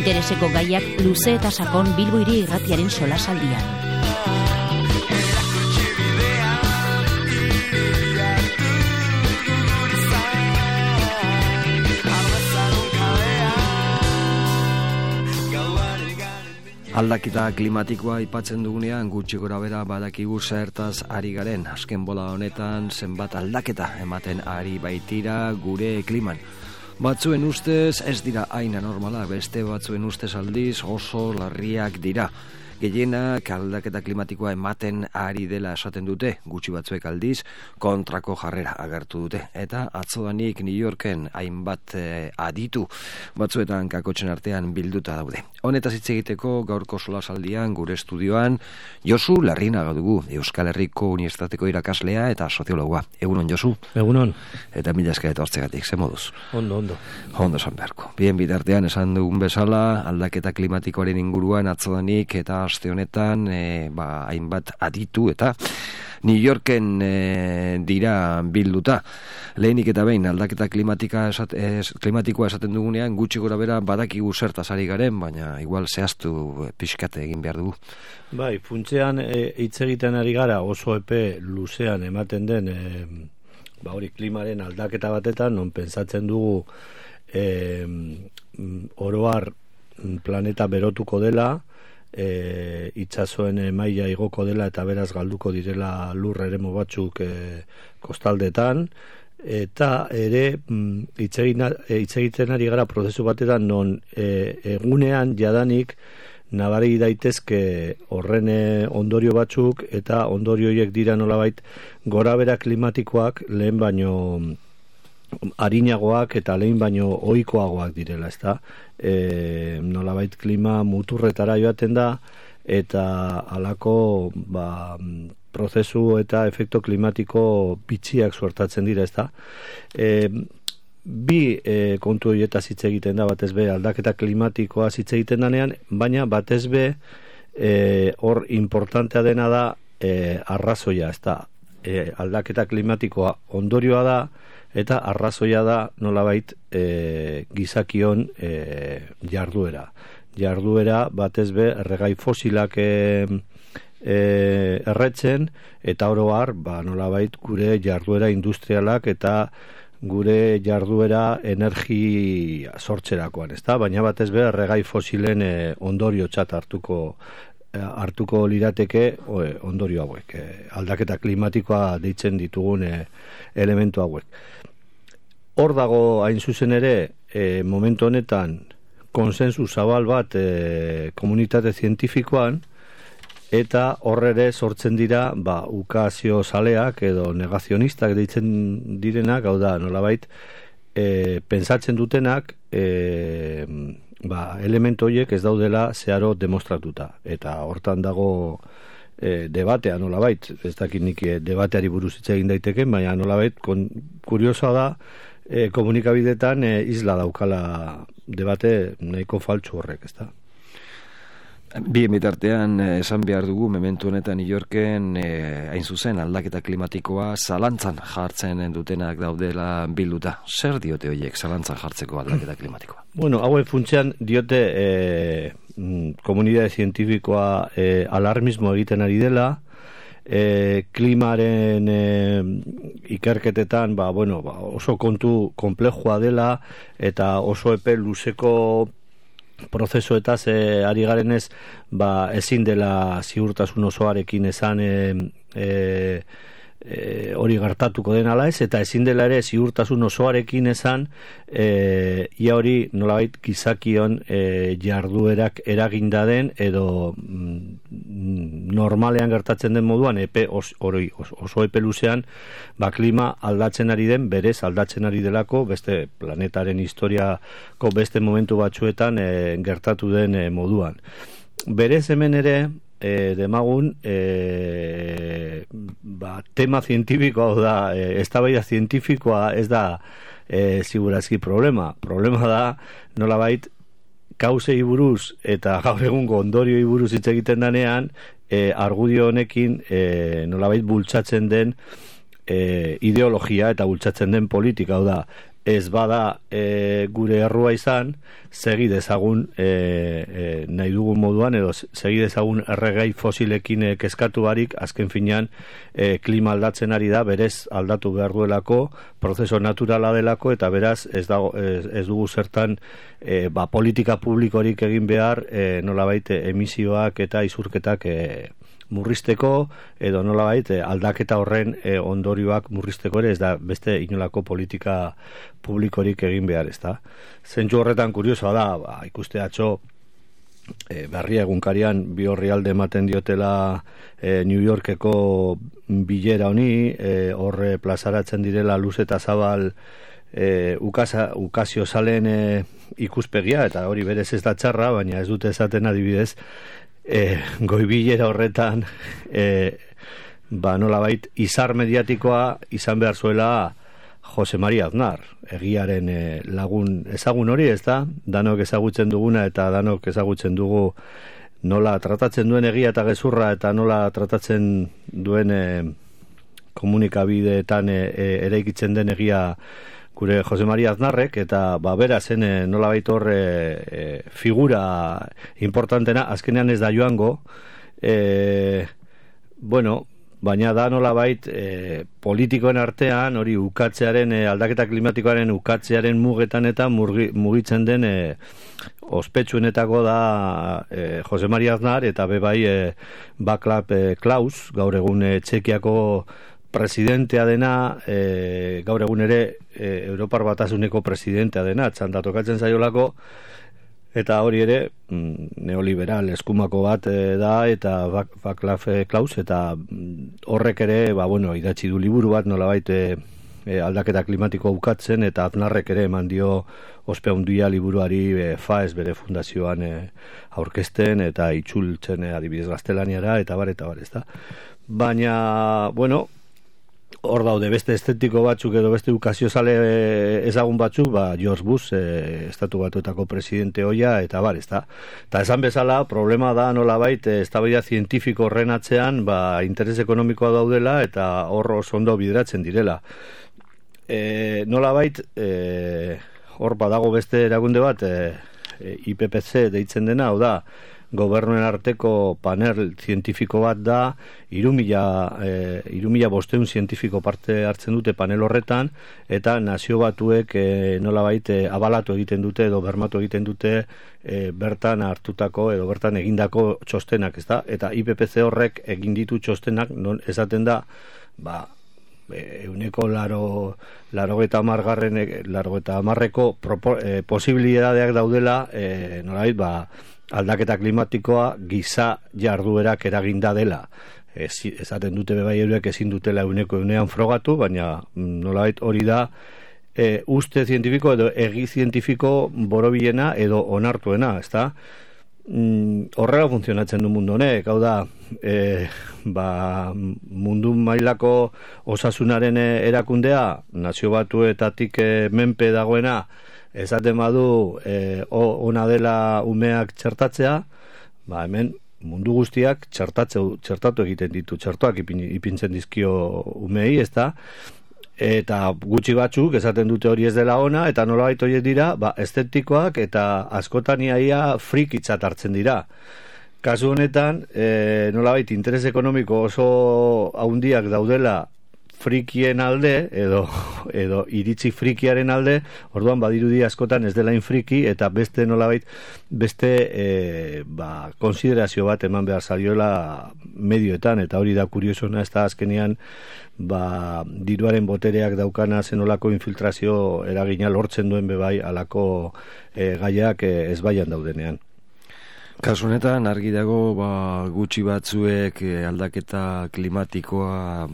Intereseko gaiak luze eta sakon Bilbo Hiri Irratiaren solasaldian. Aldaketa klimatikoa aipatzen dugunean gutxi gorabehera badakigu zertaz ari garen. Azken bola honetan zenbat aldaketa ematen ari baitira gure kliman. Batzuen ustez ez dira hain anormalak, beste batzuen ustez aldiz oso larriak dira. Gehienak aldaketa klimatikoa ematen ari dela esaten dute, gutxi batzuek aldiz kontrako jarrera agertu dute. Eta atzodanik New Yorken hainbat aditu batzuetan kakotzen artean bilduta daude. Honetaz hitz egiteko gaurko solasaldian gure estudioan Josu Larrinaga dugu, Euskal Herriko Unibertsitateko irakaslea eta soziologoa. Egunon, Josu? Egunon. Eta mila esker etortzegatik, ze moduz? Ondo. Ondo esan beharko. Bien bitartean esan dugun bezala, aldaketa klimatikoaren inguruan atzodanik eta aste honetan hainbat aditu eta New Yorken dira bilduta. Lehenik eta behin aldaketa klimatikoa esaten dugunean gutxi gorabehera badakigu zertaz ari garen, baina igual zehaztu pixkate egin behar dugu. Bai, funtsean hitz egiten ari gara oso epe luzean ematen den hori klimaren aldaketa batetan, non pentsatzen dugu oroar planeta berotuko dela, itsasoen maila igoko dela eta beraz galduko direla lur eremu batzuk kostaldetan, eta ere hitz egiten ari gara prozesu batetan non egunean jadanik nabari daitezke horren ondorio batzuk, eta ondorio horiek dira nolabait gorabehera klimatikoak lehen baino arinagoak eta lehen baino ohikoagoak direla, ezta? Nolabait klima muturretara joaten da, eta halako prozesu eta efektu klimatiko bitxiak suertatzen dira, ezta? Bi kontu horietaz hitz egiten da, batez be aldaketa klimatikoa hitz egiten danean, baina batez be hor importantea dena da arrazoia, ezta? Aldaketa klimatikoa ondorioa da, eta arrazoia da nolabait gizakion jarduera batez be erregai fosilak erretzen, eta oro har nolabait gure jarduera industrialak eta gure jarduera energia sortzerakoan, ezta? Baina batez be erregai fosilen ondoriotzat hartuko lirateke ondorio hauek, aldaketa klimatikoa deitzen ditugun elementu hauek. Hor dago hain zuzen ere momentu honetan konsensu zabal bat komunitate zientifikoan, eta horre ere sortzen dira ukazio zaleak edo negazionistak deitzen direnak, hau da nolabait pentsatzen dutenak elementu horiek ez daudela zeharo demostratuta, eta hortan dago debatea nolabait, ez dakit nik debateari buruz hitz egin daiteke, baina nolabait kuriosoa da komunikabideetan isla daukala debate nahiko faltsu horrek, ezta? Bien bitartean esan behar dugu momentu honetan New Yorken hain zuzen aldaketa klimatikoa zalantzan jartzen dutenak daudela bilduta. Zer diote horiek zalantzan jartzeko aldaketa klimatikoa? Bueno, haue funtsean diote komunitate zientifikoa alarmismo egiten ari dela, klimaren ikerketetan oso kontu konplexua dela, eta oso epe luzeko prozesuetaz ari garenez ezin dela ziurtasun osoarekin esan hori gertatuko den ala ez, eta ezin dela ere ziurtasun osoarekin esan ia hori nolabait gizakion jarduerak eraginda den edo normalean gertatzen den moduan oso epe luzean klima aldatzen ari den, berez aldatzen ari delako beste planetaren historiako beste momentu batzuetan gertatu den moduan. Berez hemen ere demagun tema zientifikoa da, eztabaida zientifikoa ez da segurazki problema da nolabait kausei buruz eta gaur egungo ondorioi buruz hitz egiten danean argudio honekin nolabait bultzatzen den ideologia eta bultzatzen den politika, hau da ez bada gure errua izan, segi dezagun nahi dugun moduan, edo segi dezagun erregai fosilekin kezkatu barik, azken finean klima aldatzen ari da, berez aldatu behar duelako, prozeso naturala delako, eta beraz ez dugu zertan politika publikorik egin behar, nolabait emisioak eta isurketak murrizteko, edo nolabait aldaketa horren ondorioak murrizteko ere, ez da beste inolako politika publikorik egin behar, ez da. Zentzu horretan kuriosoa da, ikuste atzo Berria egunkarian bi orrialde ematen diotela New Yorkeko bilera honi, horre plazaratzen direla luz eta zabal ukazio zalen ikuspegia, eta hori berez ez da txarra, baina ez dute esaten adibidez, goibilera horretan nolabait izar mediatikoa izan behar zuela Jose Maria Aznar, egiaren lagun ezagun hori, ez da? Danok ezagutzen duguna eta danok ezagutzen dugu nola tratatzen duen egia eta gezurra, eta nola tratatzen duen komunikabideetan eraikitzen den egia gure Jose Maria Aznarrek, eta bera zen nolabait hor figura importantena, azkenean ez da joango, baina da nolabait politikoen artean, hori ukatzearen, aldaketa klimatikoaren ukatzearen mugetan eta mugitzen den ospetsuenetako da Jose Maria Aznar, eta bebai Václav Klaus, gaur egun Txekiako presidentea dena, gaur egun ere Europar Batasuneko presidentea dena, txandatokatzen zaiolako, eta hori ere neoliberal eskumako bat da, eta Václav Klaus, eta horrek ere idatzi du liburu bat nolabait aldaketa klimatiko ukatzen, eta Aznarrek ere eman dio ospe handia liburuari FAES bere fundazioan aurkezten eta itzultzen adibidez gaztelaniara, eta bar, ez da. Baina, hor daude beste estetiko batzuk edo beste ukaziozale ezagun batzuk, George Bush, estatu batuetako presidente hoia, eta bar, ez da. Eta esan bezala, problema da nolabait, eztabaida zientifiko horren atzean, interes ekonomikoa daudela, eta hor oso ondo bideratzen direla. Nolabait, hor badago beste erakunde bat, IPPC deitzen dena, hau da, gobernuen arteko panel zientifiko bat da, 3.500 zientifiko parte hartzen dute panel horretan, eta nazio batuek nolabait abalatu egiten dute edo bermatu egiten dute bertan hartutako edo bertan egindako txostenak, ez da? Eta IPPC horrek egin ditu txostenak, non esaten da, euneko larogeta hamarreko posibilidadeak daudela, nolabait, aldaketa klimatikoa giza jarduerak eraginda dela. Esaten dute bebai eurek ezin dutela euneko frogatu, baina nolabait hori da uste zientifiko edo egi zientifiko borobilena edo onartuena, ez da? Horrela funtzionatzen du mundu honek, hau da, mundu mailako osasunaren erakundea, nazio batuetatik menpe dagoena, esaten badu ona dela umeak txertatzea, hemen mundu guztiak txertatu egiten ditu, txertoak ipintzen dizkio umei, ez da? Eta gutxi batzuk esaten dute hori ez dela ona, eta nolabait horiek dira, estetikoak eta askotan iaia frikitzat hartzen dira. Kasu honetan, nolabait interes ekonomiko oso haundiak daudela frikien alde, edo iritzi frikiaren alde, orduan badirudi askotan ez dela infriki, eta beste nolabait, beste konsiderazio bat eman behar zaiola medioetan, eta hori da kuriosona, ez da azkenean diruaren botereak daukana zenolako infiltrazio eragina lortzen duen bebai alako gaiak ezbaian daudenean. Kasu honetan argi dago gutxi batzuek aldaketa klimatikoa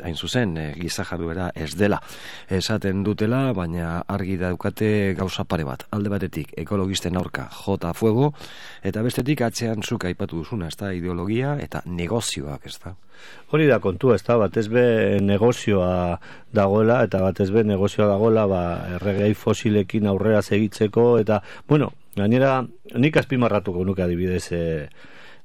hain zuzen giza jarduera ez dela esaten dutela, baina argi daukate gauza pare bat. Alde batetik ekologisten aurka jota fuego, eta bestetik atzean zuk aipatu duzuna, ez da, ideologia eta negozioak, ez da. Hori da kontua, ez da, batez be negozioa dagoela, eta batez be negozioa dagoela erregai fosilekin aurrera segitzeko, eta, gainera, nik azpimarratuko nuke adibidez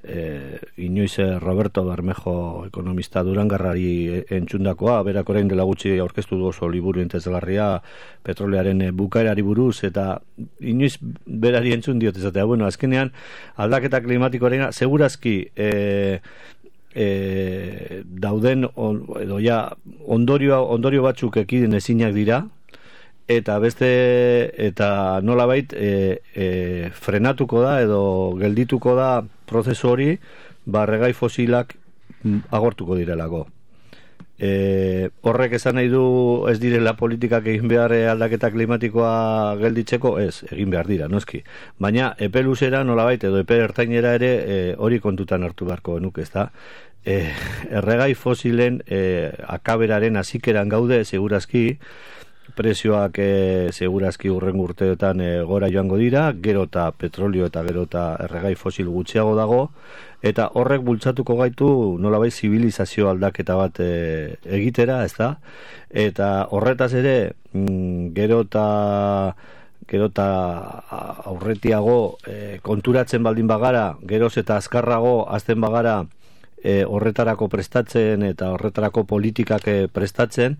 inoiz Roberto Bermejo ekonomista Durangarrari entzundakoa, berak orain dela gutxi aurkeztu du oso liburu interesgarria petrolearen bukaerari buruz, eta inoiz berari entzun diot ezatea. Bueno, azkenean aldaketa klimatikoarena segurazki dauden edo ja ondorio batzuk ekidin ezinak dira, eta nolabait frenatuko da edo geldituko da prozesu hori, erregai fosilak agortuko direlako. Horrek esan nahi du ez direla politikak egin behar aldaketa klimatikoa gelditzeko, ez, egin behar dira, noski. Baina epe luzera nolabait edo epe ertainera ere hori kontutan hartu beharko genuke, ezta? Erregai fosilen akaberaren hasikeran gaude, segurazki, prezioak segurazki hurrengo urteetan gora joango dira, gero eta petrolio eta gero eta erregai fosil gutxiago dago, eta horrek bultzatuko gaitu nolabait zibilizazio aldaketa bat egitera, ez da? Eta horretaz ere, gero eta aurretiago konturatzen baldin bagara, geroz eta azkarrago azten bagara horretarako prestatzen eta horretarako politikak prestatzen,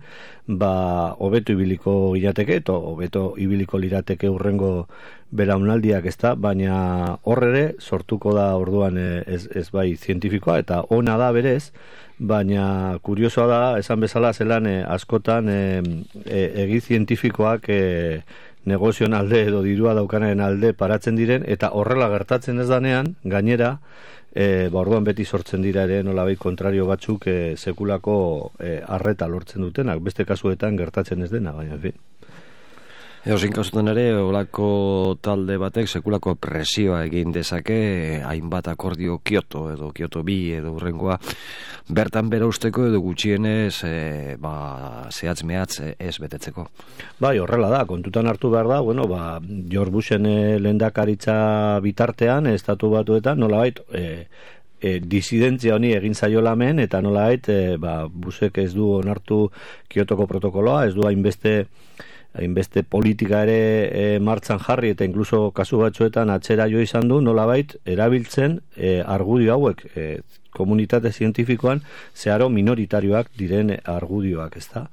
hobeto ibiliko gilateke eta hobeto ibiliko lirateke hurrengo belaunaldiak, ezta, baina horrere sortuko da orduan ez bai zientifikoa, eta ona da berez, baina kuriosoa da, esan bezala zelan askotan egi zientifikoak negozioen alde edo dirua daukanaren alde paratzen diren, eta horrela gertatzen ez danean, gainera, orduan beti sortzen dira ere nolabait kontrario batzuk sekulako arreta lortzen dutenak, beste kasuetan gertatzen ez dena, baina en fin. Eozin kasutan ere, olako talde batek sekulako presioa egin dezake, hainbat akordio Kyoto edo Kyoto 2 edo hurrengoa bertan bera usteko edo gutxienez zehatz mehatz ez betetzeko. Bai, horrela da, kontutan hartu behar da, George Bushen lehendakaritza bitartean, estatu batuetan, nolabait, disidentzia honi egin zaiola hemen, eta nolabait, Bushek ez du onartu Kyotoko protokoloa, ez du hainbeste politika ere martxan jarri, eta inkluso kasu batzuetan atzera jo izan du, nolabait erabiltzen argudio hauek komunitate zientifikoan zeharo minoritarioak diren argudioak, ezta?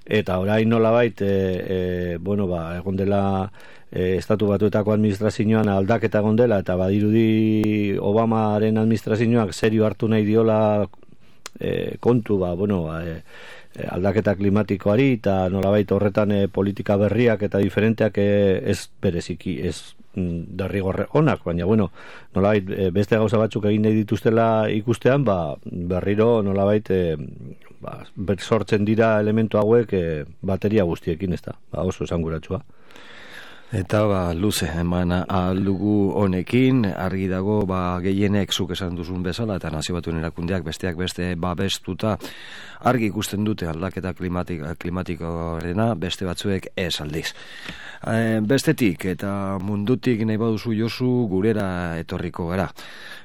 Eta orain nolabait egon dela estatu batuetako administrazioan aldaketa egon dela, eta badirudi Obamaren administrazioak serio hartu nahi diola kontu aldaketa klimatikoari, eta nolabait horretan politika berriak eta diferenteak ez bereziki, ez derrigorre onak, baina nolabait beste gauza batzuk egin nahi dituztela ikustean, berriro nolabait sortzen dira elementu hauek bateria guztiekin, ez da, oso esanguratsua. Eta luze eman aldugu honekin, argi dago gehienek zuk esan duzun bezala, eta Nazio Batuen erakundeak besteak beste babestuta argi ikusten dute aldaketa klimatikoarena, beste batzuek ez aldiz. Bestetik eta mundutik nahi baduzu Josu, gurera etorriko gara.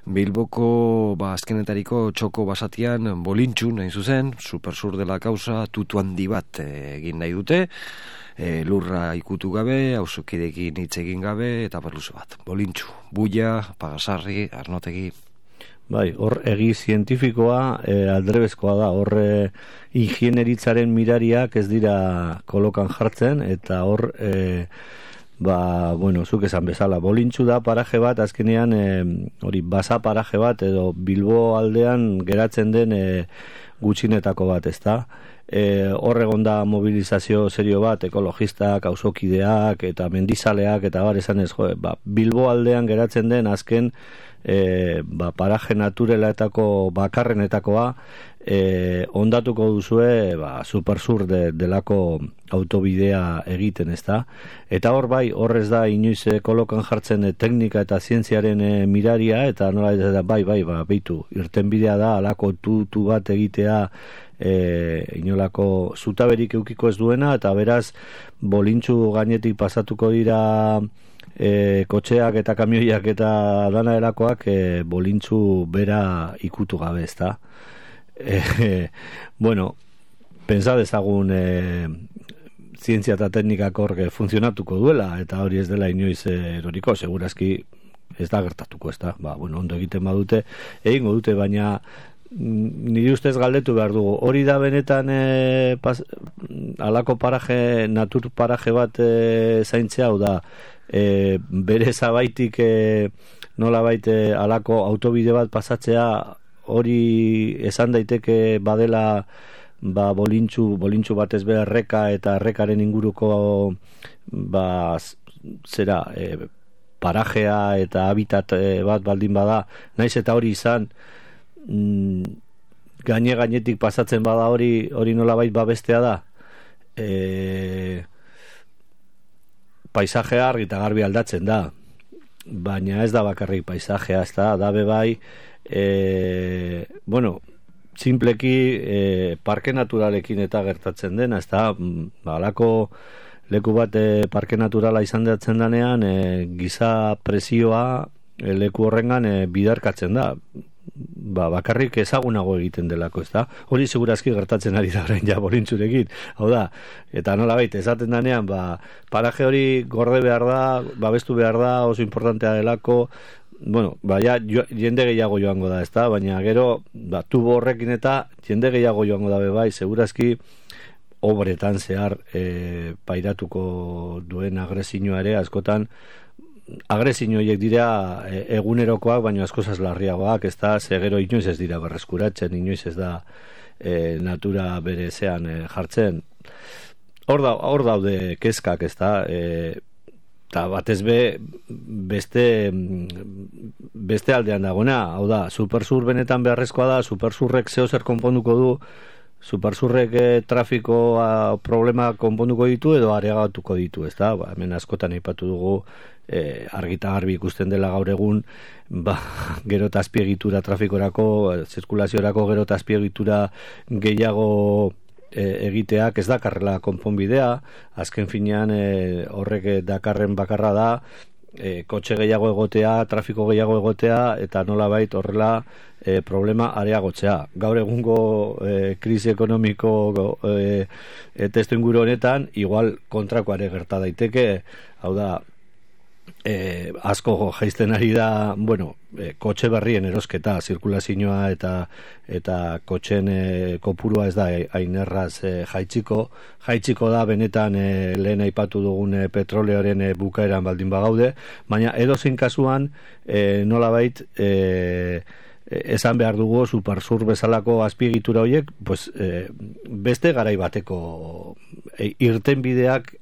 Bilboko azkenetariko txoko basatian bolintxu nahi zuzen, supersur dela kausa, tutu handi bat egin nahi dute, lurra ikutu gabe, auzokidekin hitz egin gabe, eta berluze bat. Bolintxu, buia, pagasarri, arnotegi. Bai, hor egi zientifikoa aldrebezkoa da, hor ingenieritzaren mirariak ez dira kolokan jartzen, eta hor zuk esan bezala, bolintxu da paraje bat, azkenean hori basa paraje bat, edo Bilbo aldean geratzen den gutxinetako bat, ezta? Hor egon da mobilizazio serio bat, ekologistak, auzokideak eta mendizaleak eta esan ez, Bilbo aldean geratzen den azken paraje naturelatako bakarrenetakoa ondatuko duzue supersur delako autobidea egiten, ezta? Eta hor hor ez da inoiz kolokan jartzen teknika eta zientziaren miraria, eta nola da, beitu, irtenbidea da alako tutu bat egitea inolako zutaberik eukiko ez duena, eta beraz bolintxu gainetik pasatuko dira kotxeak eta kamioiak eta dana erakoak bolintxu bera ikutu gabe, ezta? Pentsa dezagun zientzia eta teknikak hor funtzionatuko duela, eta hori ez dela inoiz eroriko, segurazki ez da gertatuko, ez da, ondo egiten badute, egingo dute, baina nire ustez galdetu behar dugu, hori da benetan alako paraje, natur paraje bat zaintzea, hau da, bere zabaitik nolabait alako autobide bat pasatzea, hori esan daiteke badela bolintxu batez be erreka eta errekaren inguruko parajea eta habitat bat baldin bada, naiz eta hori izan gainetik pasatzen bada hori nolabait babestea da, paisajea argi eta garbi aldatzen da, baina ez da bakarrik paisajea, ez da bebai simpleki parke naturalekin eta gertatzen dena, ez da alako leku bat parke naturala izan datzen danean giza presioa leku horrengan bidarkatzen da, bakarrik ezagunago egiten delako, ez da? Hori segurazki gertatzen ari da orain ja bolintzurekin, hau da, eta nolabait esaten danean, paraje hori gorde behar da, babestu behar da, oso importantea delako, jende gehiago joango da, ez da? Baina gero, tubo horrekin eta jende gehiago joango da bebai, segurazki obretan zehar pairatuko duen agresioa ere, askotan agresio horiek dira egunerokoak, baina askozaz larriagoak, ez da, gero inoiz ez dira berreskuratzen, inoiz ez da natura bere zean jartzen. Hor daude kezkak, ez da, eta batez beste aldean dagona, hau da, supersur benetan beharrezkoa da, supersurrek zehozer konponduko du, supersurrek trafiko problema konponduko ditu edo areagatuko ditu, ez da, hemen askotan aipatu dugu argita garbi ikusten dela gaur egun, gero eta azpiegitura trafikorako, zirkulaziorako gero eta azpiegitura gehiago egiteak ez dakarrela konponbidea, azken finean horrek dakarren bakarra da, kotxe gehiago egotea, trafiko gehiago egotea, eta nolabait horrela problema areagotzea. Gaur egungo krisi ekonomiko testu inguru honetan, igual kontrakoare gerta daiteke, hau da, asko jaisten ari da, kotxe berrien erosketa, zirkulazioa eta kotxen kopurua ez da hain erraz jaitsiko da benetan lehen aipatu dugun petroleoaren bukaeran baldin bagaude, baina edozein kasuan nolabait esan behar dugu supersur bezalako azpiegitura horiek beste garai bateko irtenbideak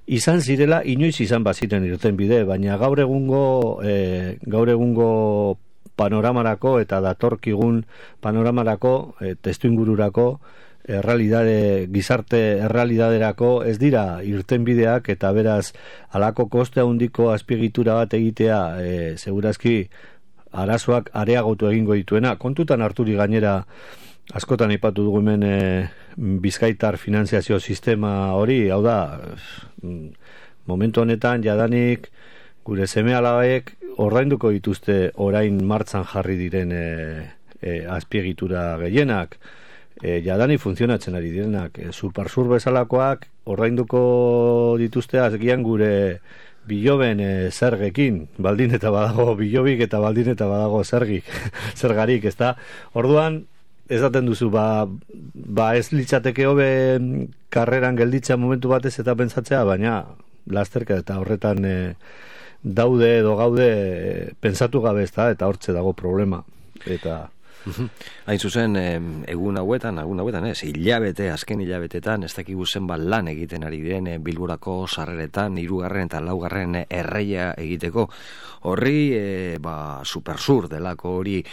izan zirela, inoiz izan baziren irtenbide, baina gaur egungo panoramarako eta datorkigun panoramarako testuingururako gizarte errealidaderako ez dira irtenbideak, eta beraz halako koste handiko azpiegitura bat egitea segurazki arazoak areagotu egingo dituena. Kontutan harturi gainera askotan aipatu dugu hemen bizkaitar finanziazio sistema hori, hau da, momentu honetan jadanik gure seme-alabek ordainduko dituzte orain martxan jarri diren azpiegitura gehienak, jadanik funtzionatzen ari direnak, supersur bezalakoak ordainduko dituzte azgian gure biloben zergekin, baldin eta badago bilobik eta baldin eta badago zergarik, ez da? Orduan, esaten duzu, ez litzateke hobe karreran gelditzea momentu batez eta pentsatzea, baina lasterka eta horretan daude edo gaude pentsatu gabe, ez da, eta hortze dago problema. Eta hain zuzen, egun hauetan azken hilabetetan, ez dakigu zenbat lan egiten ari diren Bilborako sarreretan, 3. eta 4. erreia egiteko. Horri, supersur delako hori,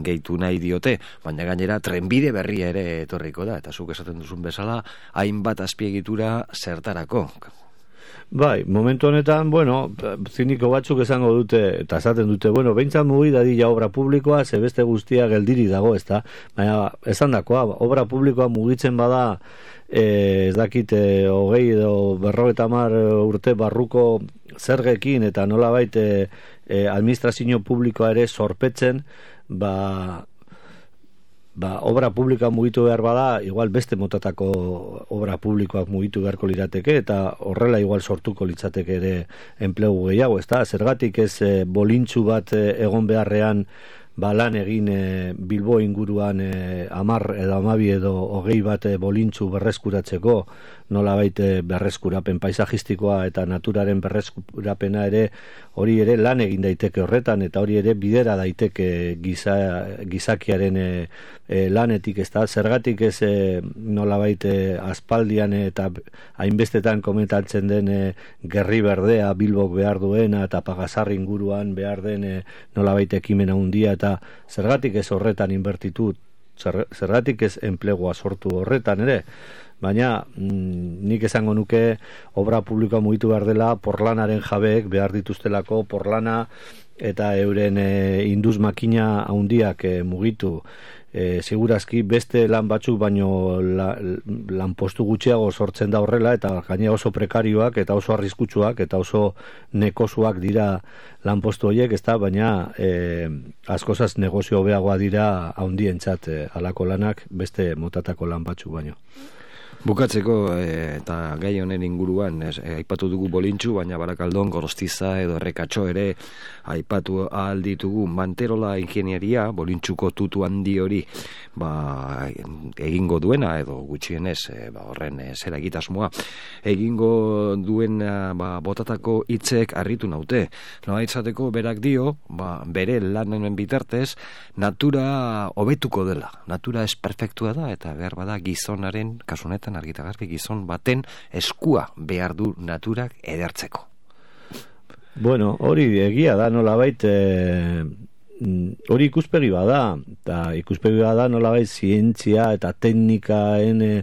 gehitu nahi diote, baina gainera trenbide berria ere etorriko da, eta zuk esaten duzun bezala, hainbat azpiegitura zertarako. Bai, momentu honetan, ziniko batzuk esango dute, eta esaten dute, behintzat mugi dadila obra publikoa, zebeste guztia geldiri dago, ez da? Baina, esan dakoa, obra publikoa mugitzen bada, ez dakit, 20 edo 50 urte barruko zergekin, eta nolabait administrazio publikoa ere zorpetzen, obra publikoa mugitu behar bada, igual beste motatako obra publikoak mugitu beharko lirateke, eta horrela igual sortuko litzateke ere enplegu gehiago, ezta? Zergatik ez bolintxu bat egon beharrean lan egin Bilbo inguruan 10 edo 12 edo 20 bat bolintxu berreskuratzeko, nolabait berreskurapen paisajistikoa eta naturaren berreskurapena ere, hori ere lan egin daiteke horretan, eta hori ere bidera daiteke gizakiaren lanetik, ez da? Zergatik ez nolabait aspaldian eta hainbestetan komentatzen den gerri berdea Bilbok behar duena eta Pagasarri inguruan behar den nolabait ekimena handia, eta zergatik ez horretan inbertitu, zergatik ez enplegua sortu horretan ere. Baina nik esango nuke obra publikoa mugitu behar dela porlanaren jabeek behar dituztelako porlana eta euren induz makina handiak mugitu. Segurazki beste lan batzuk baino lanpostu gutxiago sortzen da horrela, eta gainera oso prekarioak eta oso arriskutsuak eta oso nekosuak dira lanpostu horiek, ezta? Baina askozaz negozio hobeagoa dira handientzat halako lanak beste motatako lan batzuk baino. Bukatzeko eta gai honen inguruan aipatu dugu bolintxu, baina Barakaldon, Gorostiza edo Errekatxo ere aipatu ahal ditugu. Manterola ingenieria bolintxuko tutu handi hori egingo duena edo gutxienez horren zera egitasmoa egingo duena botatako hitzek harritu naute. Nola izateko berak dio bere lanen bitartez natura hobetuko dela. Natura ez perfektua da eta behar bada gizonaren kasunetan argitagarri gizon baten eskua behar du naturak edertzeko. Bueno, hori egia da nolabait hori ikuspegi bada, eta ikuspegi bada nolabait zientzia eta teknikaen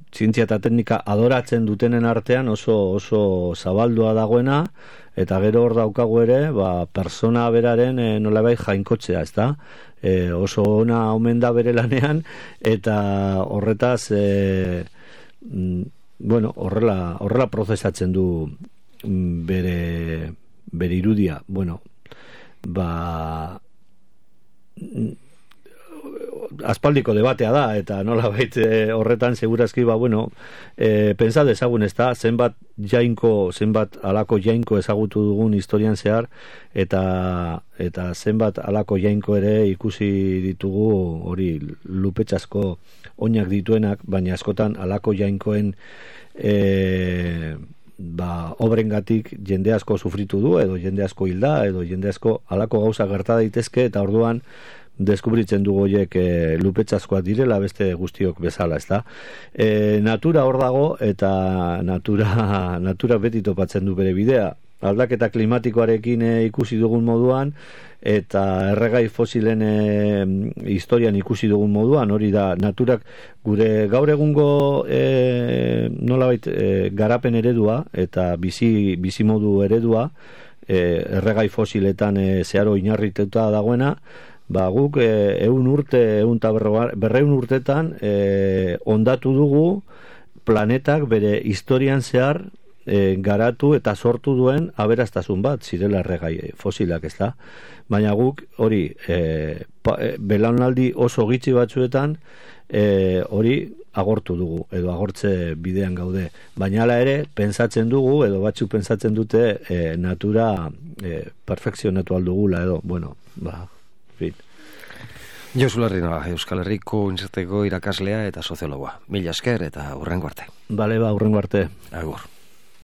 zientzia eta teknika adoratzen dutenen artean oso zabaldua dagoena, eta gero hor daukagu ere persona beraren nolabait jainkotzea, ezta? Oso ona omen da bere lanean, eta horretaz horrela prozesatzen du bere irudia. Aspaldiko debatea da, eta nolabait horretan segurazki pentsa dezagun, ez da, zenbat alako jainko ezagutu dugun historian zehar, eta zenbat alako jainko ere ikusi ditugu hori lupetxasko oinak dituenak, baina askotan alako jainkoen obrengatik jende asko sufritu du, edo jende asko hilda, edo jende asko alako gauza gerta daitezke, eta orduan deskubritzen dugu horiek lupetxaskoak direla beste guztiok bezala, ezta? Natura hor dago, eta natura beti topatzen du bere bidea. Aldaketa klimatikoarekin ikusi dugun moduan, eta erregai fosilen historian ikusi dugun moduan, hori da naturak gure gaur egungo nolabait garapen eredua eta bizi modu eredua erregai fosiletan zeharo inarrituta dagoena, guk 200 urtetan ondatu dugu planetak bere historian zehar garatu eta sortu duen aberastasun bat zirela erregai fosilak, ez da? Baina guk hori belaunaldi oso gitxi batzuetan hori agortu dugu, edo agortze bidean gaude. Baina hala ere, pentsatzen dugu, edo batzuk pentsatzen dute natura perfekzionatu aldugula, edo, fin. Josu Larrinoa, Euskal Herriko Unibertsitateko irakaslea eta soziologoa. Mila esker eta hurrengo arte. Bale, hurrengo arte. Agur.